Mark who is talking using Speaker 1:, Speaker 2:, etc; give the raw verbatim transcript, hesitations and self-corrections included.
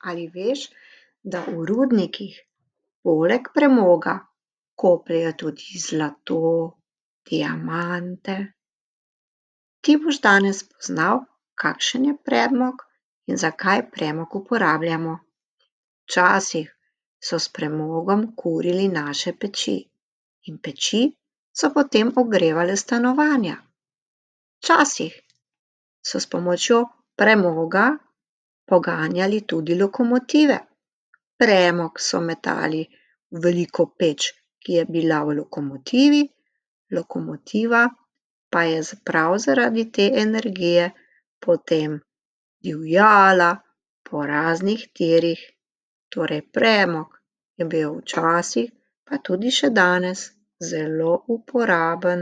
Speaker 1: Ali veš, da v rudnikih poleg premoga kopljejo tudi zlato, diamante? Ti boš danes spoznal, kakšen je premog in zakaj premog uporabljamo. Včasih so s premogom kurili naše peči in peči so potem ogrevale stanovanja. Včasih so s pomočjo premoga poganjali tudi lokomotive. Premog so metali v veliko peč, ki je bila v lokomotivi, lokomotiva pa je prav zaradi te energije potem divjala po raznih tirih. Torej premog je bil včasih, pa tudi še danes, zelo uporaben.